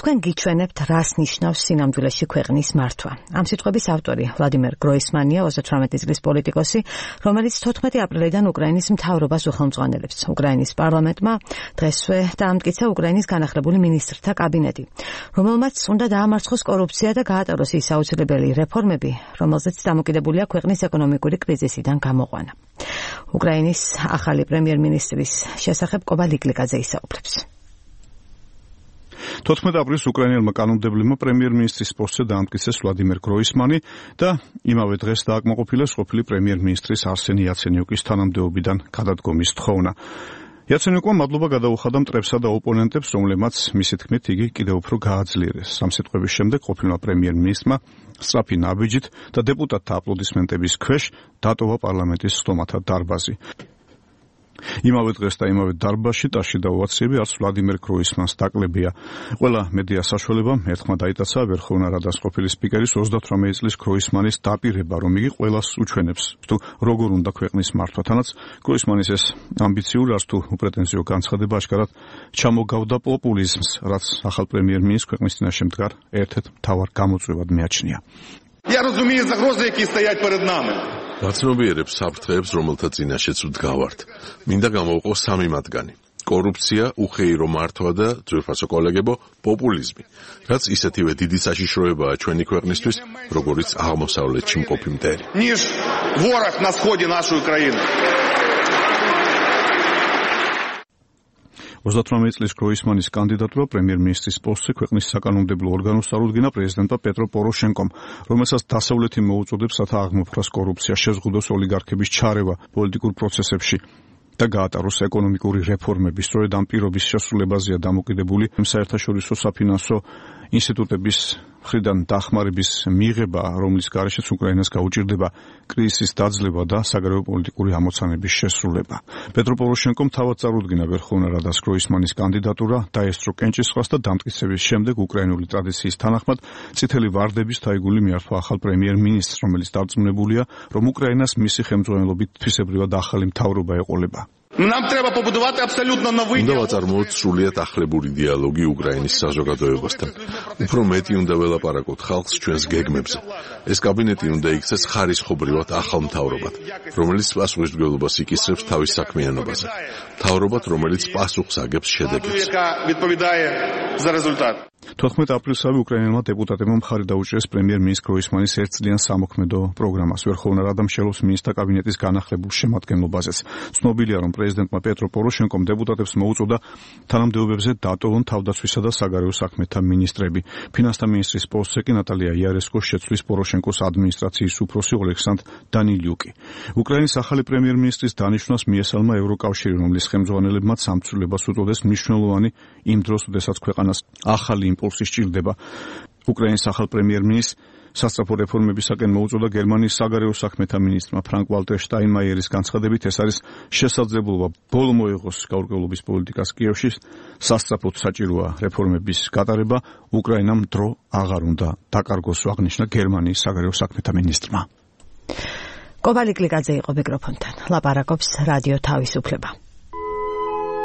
თქვენ გიჩვენებთ, რას ნიშნავს სინამდვილეში ქვეყნის მართვა. ამ სიტყვების ავტორი ვლადიმერ გროისმანია, 38 წლის პოლიტიკოსი, რომელიც 14 აპრილიდან უკრაინის მთავრობას უხელმძღვანელებს. უკრაინის პარლამენტმა დღესვე დაამტკიცა უკრაინის განახლებული მინისტრთა კაბინეტი, რომელმაც უნდა დაამარცხოს კორუფცია და გაატაროს ის აუცილებელი რეფორმები, რომელზეც დამოკიდებულია ქვეყნის ეკონომიკური კრიზისიდან გამოყვანა. უკრაინის ახალი პრემიერ-მინისტრის შესახებ კობა ლიკლიკაძე ისაუბრებს. 14 აპრილს უკრაინელმა კანონმდებლებმა პრემიერ-მინისტრის პოსტზე დაამტკიცეს ვლადიმერ გროისმანი და იმავე დღეს დააკმაყოფილეს ყოფილი პრემიერ-მინისტრის არსენი იაცენიუკის თანამდებობიდან გადადგომის თხოვნა. იაცენიუკმა მადლობა გადაუხადა მტრებსა და ოპონენტებს, რომლებმაც მისი თქმით იგი კიდევ უფრო გააძლიერეს. ამ სიტყვების შემდეგ ყოფილმა პრემიერ-მინისტრმა სწრაფი ნაბიჯით და დეპუტატთა აპლოდისმენტების ქვეშ დატოვა პარლამენტის სტომათა დარბაზი. იმავე დღეს და იმავე დარბაზში ტაში დაუაციები არც ვლადიმერ გროისმანს დაკლებია. ყველა მედია საშუალებამ ერთხმა დაიტაცა ვერხოვნა რადას ყოფილი სპიკერის 38 წლის გროისმანის დაპირება, რომ იგი ყველას უჩვენებს, თუ როგორ უნდა ქვეყნის მართვა. თანაც გროისმანის ეს ამბიციური არც თუ უპრეტენზიო განცხადება აშკარად ჩამოგავდა პოპულიზმს, რაც ახალ პრემიერ-მინისტრს ქვეყნის წინაშე მდგარ ერთ-ერთ მთავარ გამოწვევად მიაჩნია. Я разумею загрозы, які стоять перед нами. გაცნობიერებს საფრთხეებს, რომელთა წინაშეც ვდგავართ. მინდა გამოვყო სამი მათგანი. კორუფცია, უხეირო მართვა და ძვირფასო კოლეგებო, პოპულიზმი. რაც ისეთივე დიდი საშიშროებაა ჩვენი ქვეყნისთვის, როგორიც აღმოსავლეთში მყოფი მტერი. Ніж ворог на сході нашої країни. 38 წლის გროისმანის კანდიდატურა პრემიერ-მინისტრის პოსტზე ქვეყნის საკანონმდებლო ორგანოს წარუდგინა პრეზიდენტმა პეტრო პოროშენკომ, რომელსაც დასავლეთი მოუწოდებს, რათა აღმოფხვრას კორუფცია, შეზღუდოს ოლიგარქების ჩარევა პოლიტიკურ პროცესებში და გაატაროს ეკონომიკური რეფორმები. სწორედ ამ პირობის შესრულებაზეა დამოკიდებული საერთაშორისო საფინანსო ინსტიტუტების მხრიდან დახმარების მიღება, რომლის გარეშეც უკრაინას გაუჭირდება კრიზისის დაძლევა და საგარეო პოლიტიკური ამოცანების შესრულება. პეტრო პოროშენკომ თავად წარუდგინა ვერხოვნა რადას გროისმანის კანდიდატურა, დაესწრო კენჭისყრას და დამტკიცების შემდეგ უკრაინული ტრადიციის თანახმად წითელი ვარდების თაიგული მიართვა ახალ პრემიერ-მინისტრს, რომელიც დარწმუნებულია, რომ უკრაინას მისი ხელმძღვანელობით თვისებრივად ახალი მთავრობა ეყოლება. Нам треба побудувати абсолютно новий უნდა ვაწარმოოთ სრულიად ახლებური დიალოგი უკრაინის საზოგადოებასთან. უფრო მეტი უნდა ველაპარაკოთ ხალხს ჩვენს გეგმებზე. ეს კაბინეტი უნდა იქცეს ხარისხობრივად ახალ მთავრობად, რომელიც პასუხისმგებლობას იკისრებს თავის საქმიანობაზე. მთავრობად, რომელიც პასუხს აგებს შედეგებს. 14 აპრილსავე უკრაინელმა დეპუტატებმა მხარი დაუჭირეს პრემიერ-მინისტრის გროისმანის ერთწლიან სამოქმედო პროგრამას. ვერხოვნა რადა მსჯელობს მინისტრთა კაბინეტის განახლებულ შემადგენლობაზეც. ცნობილია, რომ პრეზიდენტმა პეტრო პოროშენკომ დეპუტატებს მოუწოდა თანამდებობებზე დატოვონ თავდაცვისა და საგარეო საქმეთა მინისტრები. ფინანსთა მინისტრის პოსტზე კი ნატალია იარესკოს შეცვლის პოროშენკოს ადმინისტრაციის უფროსი ოლექსანდრ დანილიუკი. უკრაინის ახალი პრემიერ-მინისტრის დანიშვნას მიესალმა ევროკავშირი, რომლის ხელმძღვანელებმაც სამცველებას უწოდეს მნიშვნელოვანი იმ დროს, როდესაც ქვეყანას ახალი იმპულსი სჭირდება. უკრაინის ახალ პრემიერ-მინისტრს სასწრაფო რეფორმებისაკენ მოუწოდა გერმანიის საგარეო საქმეთა მინისტრმა ფრანკ ვალტერ შტაინმაიერის განცხადებით, ეს არის შესაძლებლობა ბოლო მოეღოს გაურკვევლობის პოლიტიკას კიევში, სასწრაფოდ საჭიროა რეფორმების გატარება, უკრაინამ დრო აღარ უნდა დაკარგოს, აღნიშნა გერმანიის საგარეო საქმეთა მინისტრმა. კობა ლიკლიკაძე იყო მიკროფონთან. ლაპარაკობს რადიო თავისუფლება.